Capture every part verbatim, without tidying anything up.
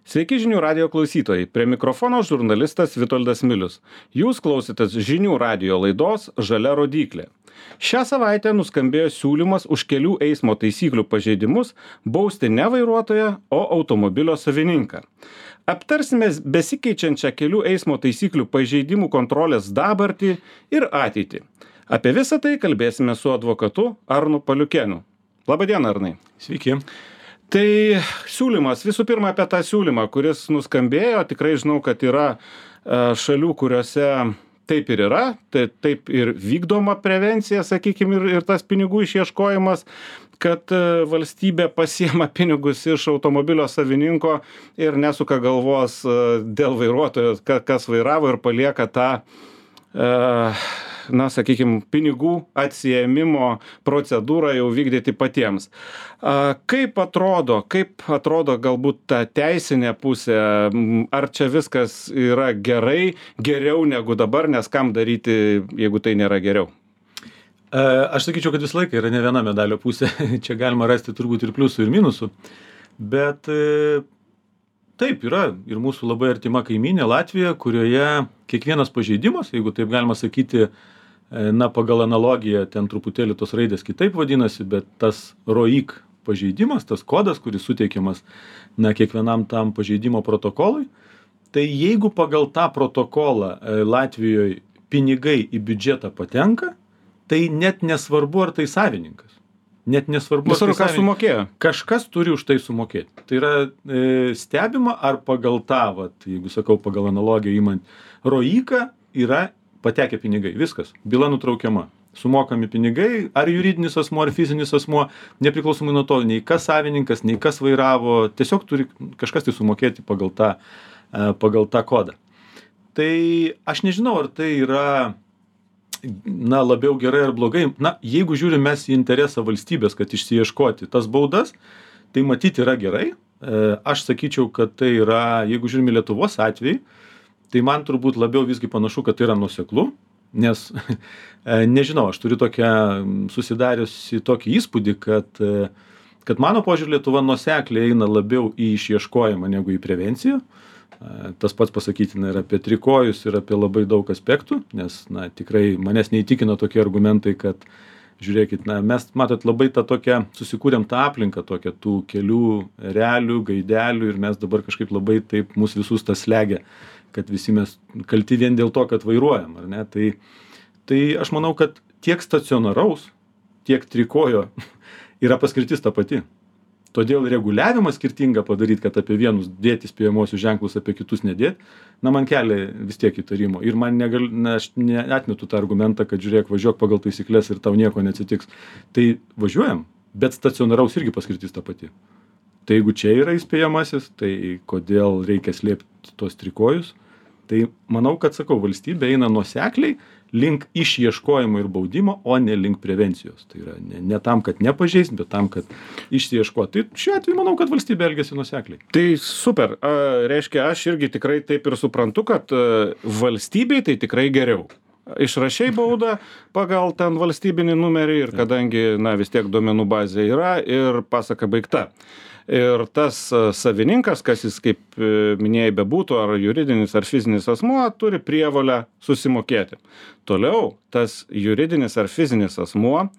Sveiki žinių radio klausytojai. Prie mikrofono žurnalistas Vitoldas Milius. Jūs klausitės žinių radio laidos Žalia rodyklė. Šią savaitę nuskambėjo siūlymas už kelių eismo taisyklių pažeidimus bausti ne vairuotoją, o automobilio savininką. Aptarsime besikeičiančią kelių eismo taisyklių pažeidimų kontrolės dabartį ir ateitį. Apie visą tai kalbėsime su advokatu Arnu Paliukėnu. Labadiena, Arnai. Sveiki. Tai siūlymas, visų pirma apie tą siūlymą, kuris nuskambėjo, tikrai žinau, kad yra šalių, kuriuose taip ir yra, tai taip ir vykdoma prevencija, sakykime, ir, ir tas pinigų išieškojimas, kad valstybė pasiema pinigus iš automobilio savininko ir nesuka galvos dėl vairuotojo, kas vairavo ir palieka tą, na, sakykime, pinigų atsiėmimo procedūrą jau vykdyti patiems. Kaip atrodo, kaip atrodo galbūt ta teisinė pusė, ar čia viskas yra gerai, geriau negu dabar, nes kam daryti, jeigu tai nėra geriau? Aš sakyčiau, kad visą laiką yra ne viena medalio pusė, čia galima rasti turbūt ir pliusų, ir minusų, bet taip yra ir mūsų labai artima kaimynė Latvija, kurioje kiekvienas pažeidimas, jeigu taip galima sakyti, na, pagal analogiją ten truputėlį tos raidės kitaip vadinasi, bet tas ROIK pažeidimas, tas kodas, kuris suteikiamas, na, kiekvienam tam pažeidimo protokolui, tai jeigu pagal tą protokolą Latvijoje pinigai į biudžetą patenka, tai net nesvarbu, ar tai savininkas. Net nesvarbu, ar tai savininkas sumokėjo. Kažkas turi už tai sumokėti. Tai yra e, stebima, ar pagal tą, vat, jeigu sakau pagal analogiją įmant, ROIK yra patekę pinigai, viskas, byla nutraukiama, sumokami pinigai, ar juridinis asmuo, ar fizinis asmuo, nepriklausomai nuo to, nei kas savininkas, nei kas vairavo, tiesiog turi kažkas tai sumokėti pagal tą, pagal tą kodą. Tai aš nežinau, ar tai yra, na, labiau gerai ar blogai. Na, jeigu žiūrim mes į interesą valstybės, kad išsiieškoti tas baudas, tai matyti yra gerai. Aš sakyčiau, kad tai yra, jeigu žiūrim į Lietuvos atvejį, tai man turbūt labiau visgi panašu, kad tai yra nuoseklu, nes, nežinau, aš turiu tokią, susidariusi tokį įspūdį, kad, kad mano požiūrį Lietuva nuosekliai eina labiau į išieškojimą negu į prevenciją. Tas pats pasakytina ir apie trikojus, ir apie labai daug aspektų, nes, na, tikrai manęs neįtikina tokie argumentai, kad, žiūrėkit, na, mes, matot, labai tą tokią, susikūrėm tą aplinką tokią, tų kelių realių, gaidelių, ir mes dabar kažkaip labai taip mūsų visus tas slegia, kad visi mes kalti vien dėl to, kad vairuojam, ar ne? Tai, tai aš manau, kad tiek stacionaraus, tiek trikojo yra paskirtis ta pati. Todėl reguliavimą skirtingą padaryti, kad apie vienus dėti spėjamosius ženklus, apie kitus nedėti, na, man kelia vis tiek įtarimo. Ir man negal, na, aš neatmetu tą argumentą, kad žiūrėk, važiuok pagal taisyklės ir tau nieko neatsitiks. Tai važiuojam, bet stacionaraus irgi paskirtis ta pati. Tai jeigu čia yra įspėjamasis, tai kodėl reikia slėpti tos trikojus? Tai manau, kad, sakau, valstybė eina nuosekliai link išieškojimo ir baudimo, o ne link prevencijos. Tai yra ne, ne tam, kad nepažeist, bet tam, kad išieškoti. Tai šiuo atveju manau, kad valstybė elgiasi nuosekliai. Tai super. A, reiškia, aš irgi tikrai taip ir suprantu, kad a, valstybei tai tikrai geriau. Išrašiai baudą pagal ten valstybinį numerį ir kadangi, na, vis tiek duomenų bazė yra ir pasaka baigta. Ir tas savininkas, kas jis, kaip minėjai, bebūtų, ar juridinis, ar fizinis asmuo, turi prievolę susimokėti. Toliau, tas juridinis ar fizinis asmuo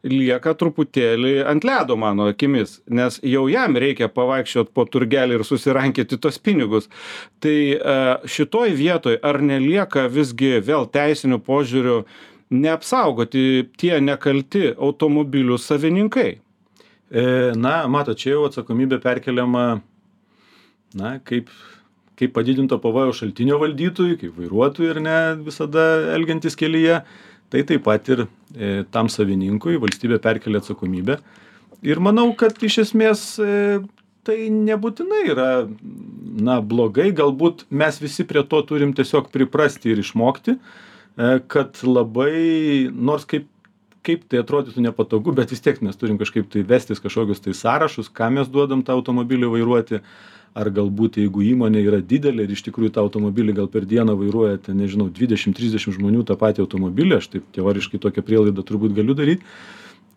lieka truputėlį ant ledo mano akimis, nes jau jam reikia pavaikščiot po turgelį ir susirankyti tos pinigus. Tai šitoj vietoj ar nelieka visgi vėl teisinių požiūrių neapsaugoti tie nekalti automobilių savininkai? Na, mato, čia jau atsakomybė perkeliama, na, kaip, kaip padidinto pavojaus šaltinio valdytojui, kaip vairuotojui ir ne visada elgiantis kelyje, tai taip pat ir e, tam savininkui valstybė perkelia atsakomybę. Ir manau, kad iš esmės e, tai nebūtinai yra, na, blogai, galbūt mes visi prie to turim tiesiog priprasti ir išmokti, e, kad labai, nors kaip kaip tai atrodytų nepatogu, bet vis tiek mes turim kažkaip tai vestis kažkokius tai sąrašus, ką mes duodam tą automobilį vairuoti, ar galbūt jeigu įmonė yra didelė ir iš tikrųjų tą automobilį gal per dieną vairuoja, ten, nežinau, dvidešimt trisdešimt žmonių tą patį automobilį, aš taip teoriškai tokią prielaidą turbūt galiu daryti,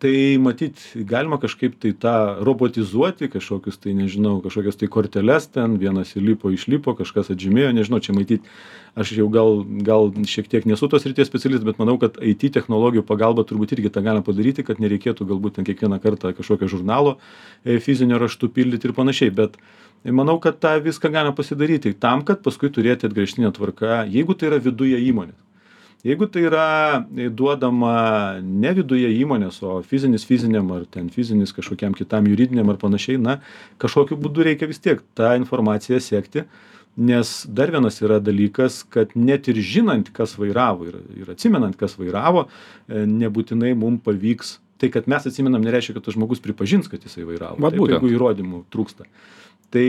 Tai matyt, galima kažkaip tai tą robotizuoti, kažkokius tai, nežinau, kažkokias tai korteles ten, vienas įlipo, išlipo, kažkas atžymėjo, nežinau, čia matyt, aš jau gal, gal šiek tiek nesu tos ryties specialistas, bet manau, kad I T technologijų pagalba turbūt irgi tą galima padaryti, kad nereikėtų galbūt ten kiekvieną kartą kažkokio žurnalo fizinio raštų pildyti ir panašiai, bet manau, kad tą viską galima pasidaryti tam, kad paskui turėti atgręžtinę tvarką, jeigu tai yra viduje įmonės. Jeigu tai yra duodama ne viduje įmonės, o fizinis fiziniam ar ten fizinis kažkokiam kitam juridiniam ar panašiai, na, kažkokiu būdu reikia vis tiek tą informaciją sekti, nes dar vienas yra dalykas, kad net ir žinant, kas vairavo ir, ir atsimenant, kas vairavo, nebūtinai mums pavyks. Tai, kad mes atsimenam, nereiškia, kad tas žmogus pripažins, kad jisai vairavo. Taip, jeigu įrodymų trūksta. Tai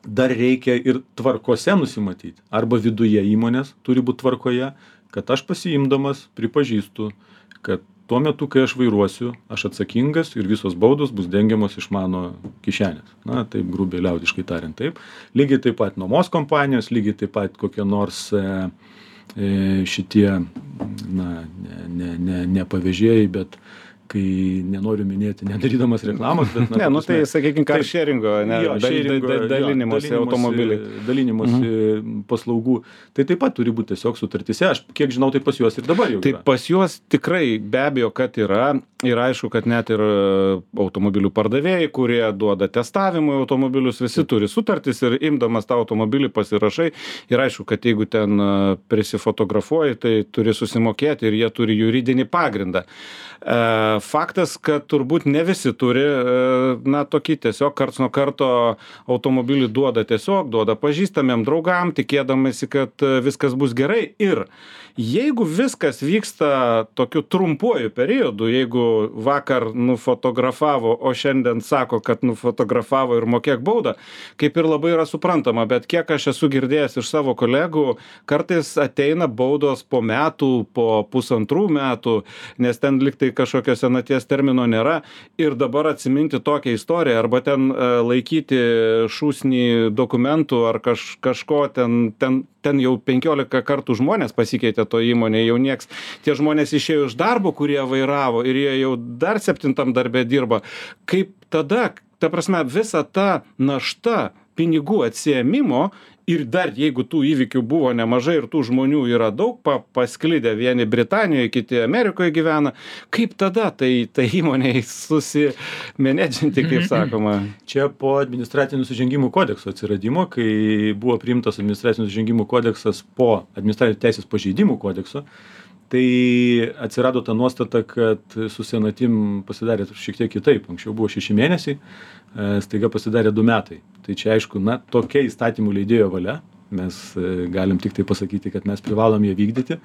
dar reikia ir tvarkose nusimatyti. Arba viduje įmonės turi būti tvarkoje, kad aš pasiimdamas pripažįstu, kad tuo metu, kai aš vairuosiu, aš atsakingas ir visos baudos bus dengiamos iš mano kišenės. Na, taip grubiai liaudiškai tariant taip. Lygiai taip pat nuomos kompanijos, lygiai taip pat kokie nors e, e, šitie, na, ne, ne, ne, ne pavėžėjai, bet kai nenoriu minėti, nedarydamas reklamos, bet... Na, ne, nu tai, sakykime, car sharingo, ne, jo, sharingo, dal, dal, dalinimosi jo, automobiliai. Dalinimosi mhm. paslaugų. Tai taip pat turi būti tiesiog sutartise. Aš kiek žinau, tai pas juos ir dabar jau tai yra. Tai pas juos tikrai be abejo, kad yra. Ir aišku, kad net ir automobilių pardavėjai, kurie duoda testavimui automobilius, visi turi sutartis ir imdamas tą automobilį pasirašai. Ir aišku, kad jeigu ten prisifotografuoji, tai turi susimokėti ir jie turi juridinį pagrindą. Faktas, kad turbūt ne visi turi, na, tokį tiesiog karts nuo karto automobilį duoda tiesiog, duoda pažįstamiem draugam, tikėdamasi, kad viskas bus gerai. Ir jeigu viskas vyksta tokiu trumpuoju periodu, jeigu vakar nufotografavo, o šiandien sako, kad nufotografavo ir mokėk baudą, kaip ir labai yra suprantama, bet kiek aš esu girdėjęs iš savo kolegų, kartais ateina baudos po metų, po pusantrų metų, nes ten liktai kažkokio senaties termino nėra ir dabar atsiminti tokią istoriją arba ten laikyti šūsnį dokumentų ar kaž, kažko ten, ten, ten jau penkiolika kartų žmonės pasikeitė to įmonė, jau nieks, tie žmonės išėjo iš darbo, kurie vairavo ir jie jau dar septintam darbe dirba. Kaip tada, ta prasme, visa ta našta pinigų atsiėmimo ir dar jeigu tų įvykių buvo nemažai ir tų žmonių yra daug pa, pasklidę, vieni Britanijoje, kiti Amerikoje gyvena, kaip tada tai, tai įmonei susimenedžinti, kaip sakoma? Čia po administracinių nusižengimų kodekso atsiradimo, kai buvo priimtas administracinių nusižengimų kodeksas po administracinių teisės pažeidimų kodekso, tai atsirado ta nuostata, kad su senatim pasidarė šiek tiek kitaip. Anksčiau buvo šeši mėnesiai, staiga pasidarė du metai. Tai čia aišku, na, tokia įstatymų leidėjo valia. Mes galim tik tai pasakyti, kad mes privalom ją vykdyti.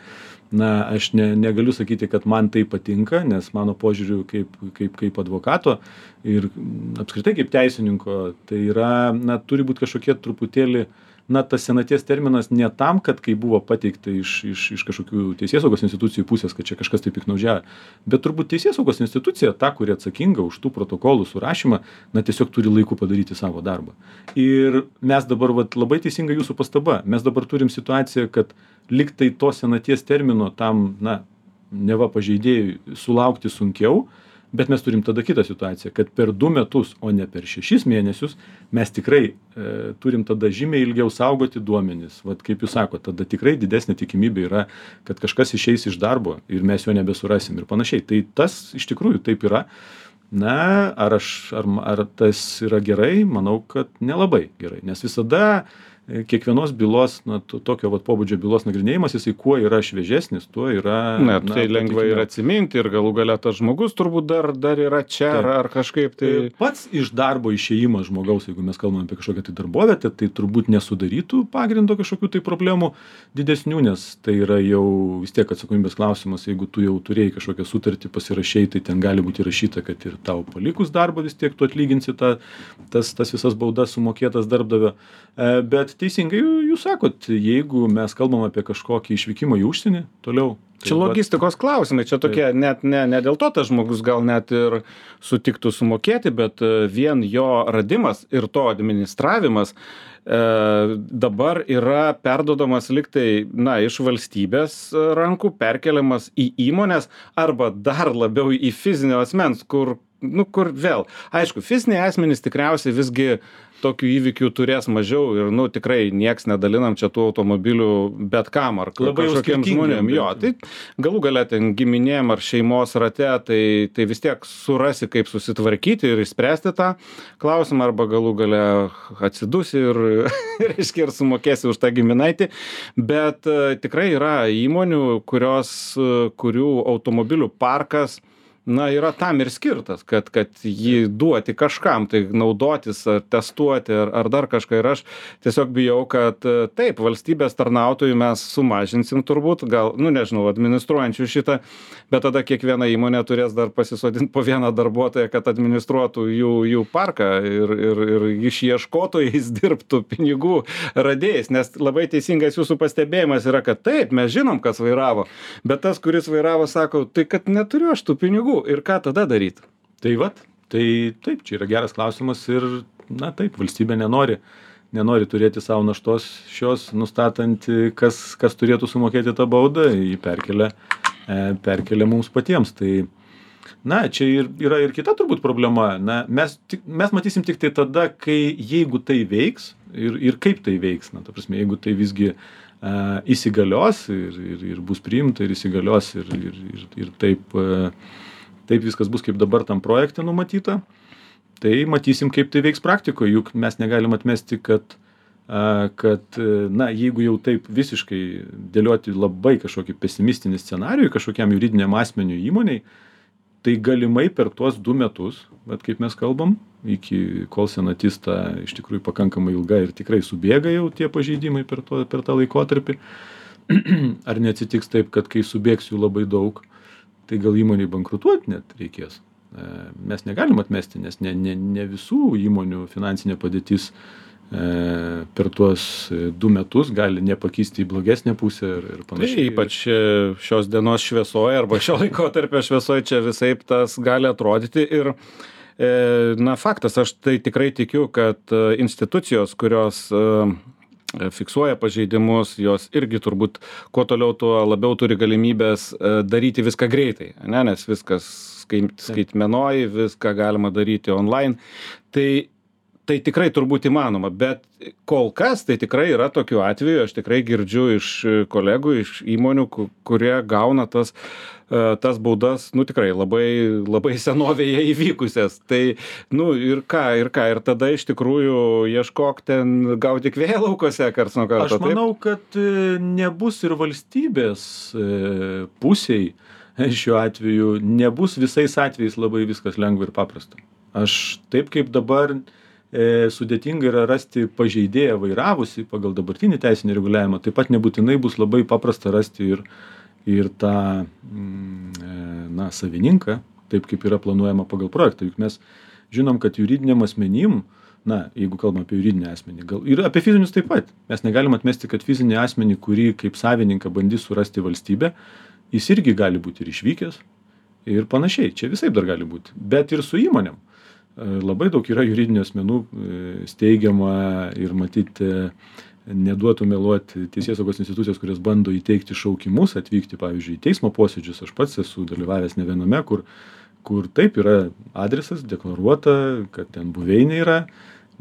Na, aš ne, negaliu sakyti, kad man tai patinka, nes mano požiūriu kaip, kaip, kaip advokato ir apskritai kaip teisininko, tai yra, na, turi būti kažkokie truputėlį, na, tas senaties terminas ne tam, kad kai buvo pateikta iš, iš, iš kažkokių teisėsaugos institucijų pusės, kad čia kažkas taip piknaudžiavo, bet turbūt teisėsaugos institucija, ta, kuri atsakinga už tų protokolų surašymą, na, tiesiog turi laiku padaryti savo darbą. Ir mes dabar, vat, labai teisinga jūsų pastaba, mes dabar turim situaciją, kad liktai to senaties termino tam, na, neva pažeidėjui sulaukti sunkiau, bet mes turim tada kitą situaciją, kad per du metus, o ne per šešis mėnesius, mes tikrai e, turim tada žymiai ilgiau saugoti duomenis. Vat kaip jūs sakote, tada tikrai didesnė tikimybė yra, kad kažkas išeis iš darbo ir mes jo nebesurasim ir panašiai. Tai tas iš tikrųjų taip yra. Na, ar, aš, ar, ar tas yra gerai? Manau, kad nelabai gerai, nes visada kiekvienos bylos, na, tokio vat pobūdžio bylos nagrinėjimas, jisai kuo yra šviežesnis, tuo yra... Na, tai na, lengva ir atsiminti ir galų galia tas žmogus turbūt dar, dar yra čia ar, ar kažkaip tai... Pats iš darbo išėjimas žmogaus, jeigu mes kalbame apie kažkokią tai darbovietę, tai turbūt nesudarytų pagrindo kažkokių tai problemų didesnių, nes tai yra jau vis tiek atsakomybės klausimas, jeigu tu jau turėjai kažkokią sutartį pasirašei, tai ten gali būti įrašyta, kad ir tau palikus darbą vis tiek tu atlyginsi ta, tas, tas visas baudas sumokėtas darbdavio. Bet teisingai jūs sakot, jeigu mes kalbam apie kažkokį išvykimą į užsienį, toliau. Tai čia logistikos klausimai, čia tokie, tai, net ne, ne dėl to tas žmogus gal net ir sutiktų sumokėti, bet vien jo radimas ir to administravimas dabar yra perduodamas liktai, na, iš valstybės rankų, perkeliamas į įmonės arba dar labiau į fizinio asmens, kur, nu, kur vėl. Aišku, fiziniai asmenys tikriausiai visgi tokių įvykių turės mažiau ir, nu, tikrai nieks nedalinam čia tų automobilių bet kam ar Labai kažkokiem žmonėm. Jo, tai galų galia ten giminėm ar šeimos rate, tai, tai vis tiek surasi, kaip susitvarkyti ir išspręsti tą klausimą, arba galų galia atsidusi ir, reiškia, ir sumokėsi už tą giminaitį. Bet uh, tikrai yra įmonių, kurios, uh, kurių automobilių parkas, na, yra tam ir skirtas, kad, kad jį duoti kažkam, tai naudotis, ar testuoti, ar, ar dar kažką. Ir aš tiesiog bijau, kad taip, valstybės tarnautojų mes sumažinsim turbūt, gal, nu, nežinau, administruojančių šitą, bet tada kiekviena įmonė turės dar pasisodinti po vieną darbuotoją, kad administruotų jų, jų parką ir, ir, ir išieškotojais dirbtų pinigų radėjais, nes labai teisingas jūsų pastebėjimas yra, kad taip, mes žinom, kas vairavo, bet tas, kuris vairavo, sako, tai kad neturiu aš tų pinigų. Ir ką tada daryti? Tai vat, tai taip, čia yra geras klausimas ir, na taip, valstybė nenori, nenori turėti savo naštos šios, nustatant, kas, kas turėtų sumokėti tą baudą, jį perkelia, perkelia mums patiems. Tai, na, čia ir, yra ir kita turbūt problema. Na, mes, mes matysim tik tai tada, kai, jeigu tai veiks ir, ir kaip tai veiks. Na, ta prasme, jeigu tai visgi uh, įsigalios ir, ir, ir bus priimta ir įsigalios ir, ir, ir, ir taip... Uh, taip viskas bus kaip dabar tam projekte numatyta, tai matysim, kaip tai veiks praktikoje, juk mes negalim atmesti, kad, kad na, jeigu jau taip visiškai dėlioti labai kažkokį pesimistinį scenarijų kažkokiam juridiniam asmeniu įmoniai, tai galimai per tuos du metus, bet kaip mes kalbam, iki kol senatis ta iš tikrųjų pakankamai ilga ir tikrai subėga jau tie pažeidimai per, to, per tą laikotarpį, ar neatsitiks taip, kad kai subėgs jų labai daug, tai gal įmoniai bankrutuoti net reikės. Mes negalim atmesti, nes ne, ne, ne visų įmonių finansinė padėtis e, per tuos du metus gali nepakisti į blogesnę pusę ir, ir panašiai. Tai ypač šios dienos šviesoje arba šio laikotarpio šviesoje čia visaip tas gali atrodyti ir e, na, faktas, aš tai tikrai tikiu, kad institucijos, kurios e, fiksuoja pažeidimus, jos irgi turbūt kuo toliau, tuo labiau turi galimybės daryti viską greitai, ne? Nes viskas skaitmenoj, viską galima daryti online. Tai, tai tikrai turbūt įmanoma, bet kol kas tai tikrai yra tokių atvejų, aš tikrai girdžiu iš kolegų, iš įmonių, kurie gauna tas tas baudas, nu tikrai labai, labai senovėje įvykusias. Tai, nu ir ką, ir ką, ir tada iš tikrųjų ieškok ten gauti vėjo laukose karts nuo karto. Aš manau, taip? Kad nebus ir valstybės pusiai šiuo atveju, nebus visais atvejais labai viskas lengva ir paprasta. Aš taip kaip dabar e, sudėtinga yra rasti pažeidėją vairavusi pagal dabartinį teisinį reguliavimą, taip pat nebūtinai bus labai paprasta rasti ir ir tą, na, savininką, taip kaip yra planuojama pagal projektą. Juk mes žinom, kad juridiniam asmenim, na, jeigu kalbam apie juridinį asmenį, gal, ir apie fizinius taip pat, mes negalim atmesti, kad fizinį asmenį, kurį kaip savininką bandys surasti valstybė, jis irgi gali būti ir išvykęs ir panašiai. Čia visaip dar gali būti. Bet ir su įmonėm. Labai daug yra juridinių asmenų steigiama ir matyti neduotų meluoti teisėsaugos institucijos, kurios bando įteikti šaukimus, atvykti, pavyzdžiui, į teismo posėdžius. Aš pats esu dalyvavęs ne viename, kur, kur taip yra adresas, deklaruota, kad ten buveinė yra,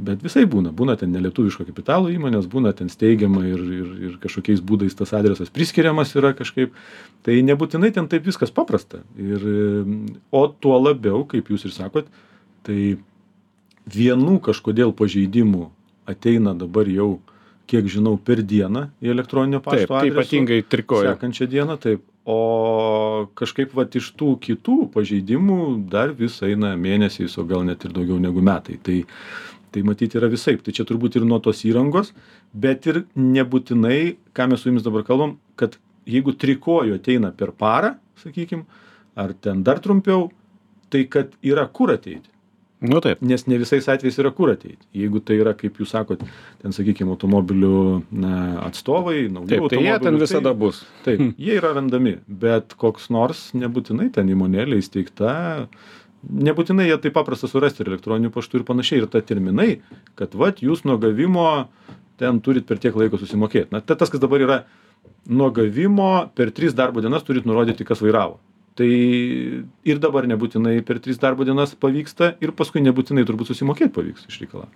bet visai būna. Būna ten nelietuviško kapitalo įmonės, būna ten steigiama ir, ir, ir kažkokiais būdais tas adresas priskiriamas yra kažkaip. Tai nebūtinai ten taip viskas paprasta. Ir, o tuo labiau, kaip jūs ir sakot, tai vienų kažkodėl pažeidimų ateina dabar jau, kiek žinau, per dieną į elektroninio pašto adresu. Taip, ypatingai trikoju. Sekančią dieną, taip. O kažkaip vat iš tų kitų pažeidimų dar vis eina mėnesiais, o gal net ir daugiau negu metai. Tai, tai matyti yra visaip. Tai čia turbūt ir nuo tos įrangos, bet ir nebūtinai, ką mes su jumis dabar kalbam, kad jeigu trikoju ateina per parą, sakykim, ar ten dar trumpiau, tai kad yra kur ateiti. Nu taip. Nes ne visais atvejais yra kur ateiti. Jeigu tai yra, kaip jūs sakot, ten, sakykime, automobilių na, atstovai, naujų taip, automobilių. Tai jie ten visada tai, bus. Taip, jie yra randami, bet koks nors nebūtinai ten įmonėlė įsteigta, nebūtinai jie taip paprasta surasti ir elektroniniu paštu ir panašiai. Ir ta terminai, kad vat jūs nuo gavimo ten turit per tiek laiko susimokėt. Na, tas, kas dabar yra nuo gavimo, per tris darbo dienas turit nurodyti, kas vairavo. Tai ir dabar nebūtinai per tris darbo dienas pavyksta ir paskui nebūtinai turbūt susimokėti pavyks iš reikalą.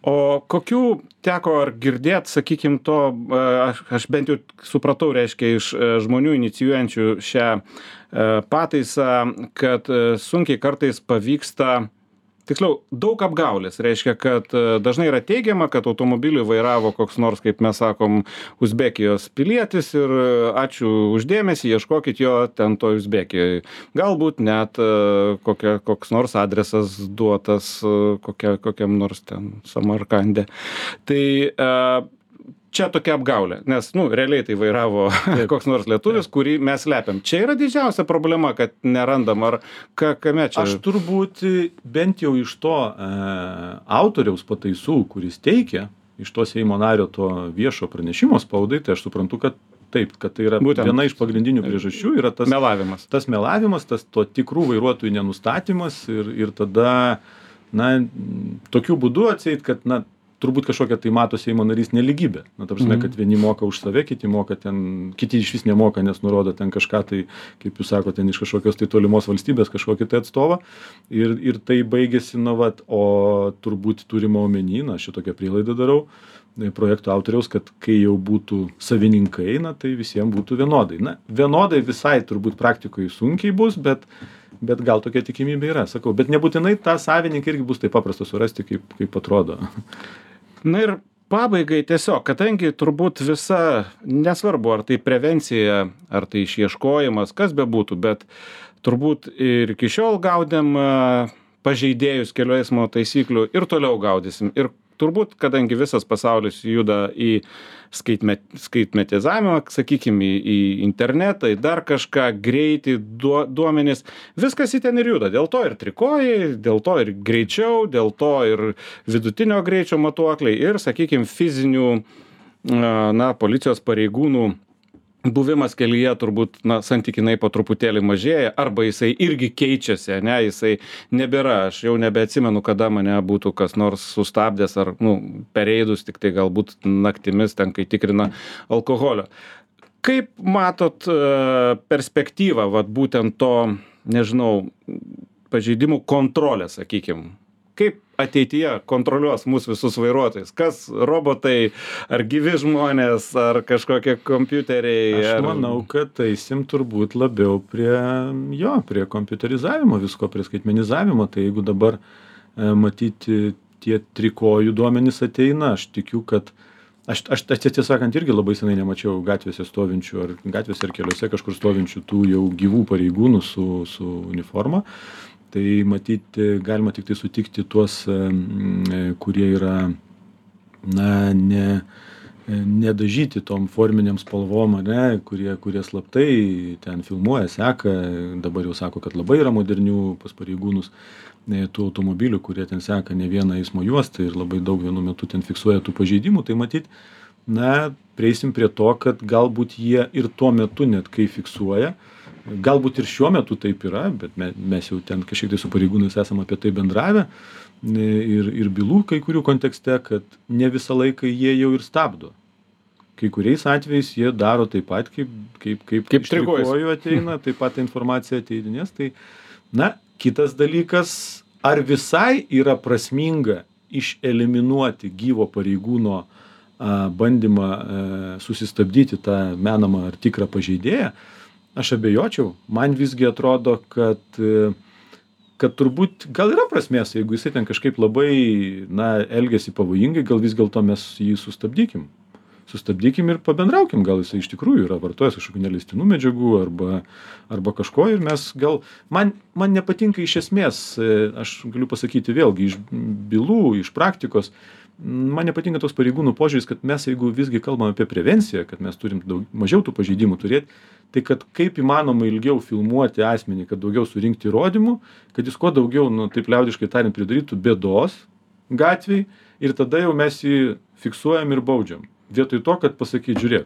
O kokių teko ar girdėt, sakykim, to, aš, aš bent jau supratau, reiškia, iš žmonių inicijuojančių šią pataisą, kad sunkiai kartais pavyksta, tiksliau, daug apgaulės, reiškia, kad dažnai yra teigiama, kad automobilį vairavo koks nors, kaip mes sakom, Uzbekijos pilietis ir ačiū uždėmesį, ieškokit jo ten to Uzbekijoje. Galbūt net kokia, koks nors adresas duotas kokia, kokiam nors ten Samarkande. Tai čia tokia apgaulė, nes, nu, realiai tai vairavo koks nors lietuvis, kurį mes slepiam. Čia yra didžiausia problema, kad nerandam, ar ka, kame čia? Aš turbūt bent jau iš to e, autoriaus pataisų, kuris teikia, iš to Seimo nario to viešo pranešimo spaudai, tai aš suprantu, kad taip, kad tai yra Būtent. viena iš pagrindinių priežasčių, yra tas melavimas, tas, melavimas, tas to tikrų vairuotojų nenustatymas ir, ir tada, na, tokiu būdu atseit, kad, na, turbūt kažkokia tai mato Seimo narys neligybė. Na, ta prasme, kad vieni moka už save, kiti moka ten, kiti iš vis nemoka, nes nurodo ten kažką tai, kaip jūs sakote, ten iš kažkokios tai tolimos valstybės kažkokį tai atstovą. Ir, ir tai baigėsi, na, vat, o turbūt turima omeny, na, šitokią prielaidą darau, projekto autoriaus, kad kai jau būtų savininkai, na, tai visiems būtų vienodai. Na, vienodai visai turbūt praktikoje sunkiai bus, bet bet gal tokia tikimybė yra, sakau. Bet nebūtinai tą savininką irgi bus taip paprasta surasti, kaip, kaip atrodo. Na ir pabaigai tiesiog, kadangi turbūt visa, nesvarbu, ar tai prevencija, ar tai išieškojimas, kas bebūtų, bet turbūt ir iki šiol gaudėm pažeidėjus kelių eismo taisyklių ir toliau gaudysim. Ir turbūt, kadangi visas pasaulis juda į skaitmet, skaitmetizavimą, sakykime, į, į internetą, į dar kažką, greitį, duo, duomenis, viskas į ten ir juda. Dėl to ir trikojai, dėl to ir greičiau, dėl to ir vidutinio greičio matuokliai ir, sakykime, fizinių, na, policijos pareigūnų buvimas kelyje turbūt, na, santykinai po truputėlį mažėja, arba jisai irgi keičiasi, ne, jisai nebėra, aš jau nebeatsimenu, kada mane būtų kas nors sustabdęs ar, nu, pereidus, tik tai galbūt naktimis ten, kai tikrina alkoholio. Kaip matot perspektyvą, vat būtent to, nežinau, pažeidimų kontrolę, sakykim? Kaip ateityje kontroliuos mūsų visus vairuotojus? Kas robotai, ar gyvi žmonės, ar kažkokie kompiuteriai? Aš ar... manau, kad eisim turbūt labiau prie, jo, prie kompiuterizavimo visko, prie skaitmenizavimo. Tai jeigu dabar e, matyti tie trikojų duomenys ateina, aš tikiu, kad aš, aš tiesą sakant irgi labai senai nemačiau gatvėse stovinčių, ar gatvėse ar keliuose kažkur stovinčių tų jau gyvų pareigūnų su, su uniforma. Tai matyti, galima tik tai sutikti tuos, kurie yra, na, ne, nedažyti tom forminiam spalvom, ne, kurie, kurie slaptai ten filmuoja, seka, dabar jau sako, kad labai yra modernių pas pareigūnus tų automobilių, kurie ten seka ne vieną eismo juostą ir labai daug vienu metu ten fiksuoja tų pažeidimų, tai matyt, na, prieisim prie to, kad galbūt jie ir tuo metu net kai fiksuoja, galbūt ir šiuo metu taip yra, bet mes jau ten kažkiek tai su pareigūnais esame apie tai bendravę ir, ir bylų kai kurių kontekste, kad ne visą laiką jie jau ir stabdo. Kai kuriais atvejais jie daro taip pat, kaip, kaip, kaip, kaip iš trikojų ateina, taip pat informacija ateidinės. Tai, na, kitas dalykas, ar visai yra prasminga išeliminuoti gyvo pareigūno a, bandymą a, susistabdyti tą menamą ar tikrą pažeidėją, aš abejočiau. Man visgi atrodo, kad, kad turbūt gal yra prasmės, jeigu jisai ten kažkaip labai, na, elgiasi pavojingai, gal vis dėlto mes jį sustabdykim. Sustabdykim ir pabendraukim, gal jisai iš tikrųjų yra vartojęs kažkokių neleistinų medžiagų arba, arba kažko ir mes gal, man, man nepatinka iš esmės, aš galiu pasakyti vėlgi, iš bylų, iš praktikos, man nepatinka toks pareigūnų požiūris, kad mes, jeigu visgi kalbame apie prevenciją, kad mes turim daug, mažiau tų pažeidimų turėti, tai kad kaip įmanoma ilgiau filmuoti asmenį, kad daugiau surinkti įrodymų, kad jis kuo daugiau, nu, taip liaudiškai tariant, pridarytų bėdos gatvėj ir tada jau mes jį fiksuojam ir baudžiam. Vietoj to, kad pasakyti, žiūrėk,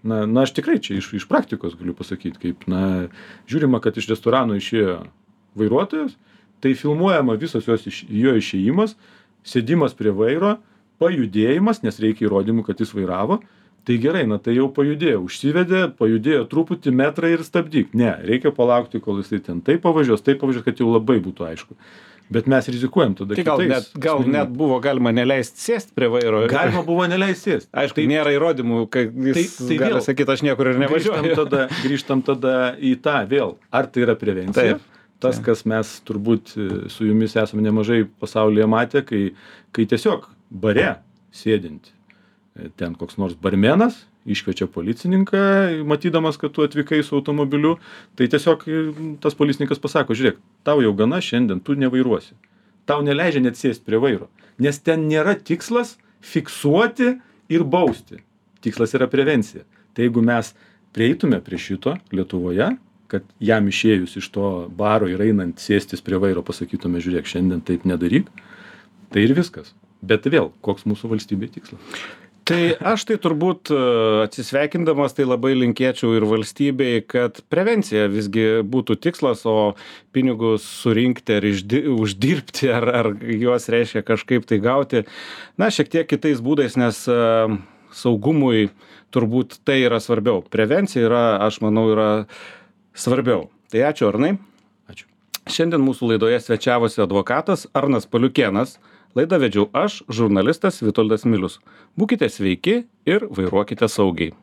na, na aš tikrai čia iš, iš praktikos galiu pasakyti, kaip, na, žiūrima, kad iš restorano išėjo vairuotojas, tai filmuojama visas jos iš, jo išėjimas, sėdimas prie vairo, pajudėjimas, nes reikia įrodymų, kad jis vairavo, tai gerai, na tai jau pajudėjo, užsivedė, pajudėjo truputį metrą ir stabdyk. Ne, reikia palaukti, kol jisai ten taip pavažiuos, taip pavažiuos, kad jau labai būtų aišku. Bet mes rizikuojam tada tai gal kitais. Net, gal asmenim. Net buvo galima neleisti sėsti prie vairo. Galima buvo neleisti sėsti. Aišku, tai nėra įrodymų, kai jis tai, tai gali sakyti, aš niekur ir nevažiuoju. Grįžtam tada, grįžtam tada į tą vėl. Ar tai yra prevencija? Taip. Tas, kas mes turbūt su jumis esame nemažai pasaulyje matę, kai, kai tiesiog bare sėdint, ten koks nors barmenas iškviečia policininką, matydamas, kad tu atvykai su automobiliu, tai tiesiog tas policininkas pasako, žiūrėk, tau jau gana šiandien, tu nevairuosi. Tau neleidžia net sėsti prie vairo, nes ten nėra tikslas fiksuoti ir bausti. Tikslas yra prevencija. Tai jeigu mes prieitume prie šito Lietuvoje, kad jam išėjus iš to baro ir einant sėstis prie vairo pasakytume, žiūrėk, šiandien taip nedaryk, tai ir viskas. Bet vėl, koks mūsų valstybė tikslas? Tai aš tai turbūt atsisveikindamas tai labai linkėčiau ir valstybei, kad prevencija visgi būtų tikslas, o pinigus surinkti ar išdi, uždirbti, ar, ar juos reiškia kažkaip tai gauti, na, šiek tiek kitais būdais, nes uh, saugumui turbūt tai yra svarbiau. Prevencija yra, aš manau, yra svarbiau. Tai ačiū, Arnai. Ačiū. Šiandien mūsų laidoje svečiavosi advokatas Arnas Paliukėnas. Laidą vedžiau aš, žurnalistas Vitoldas Milius. Būkite sveiki ir vairuokite saugiai.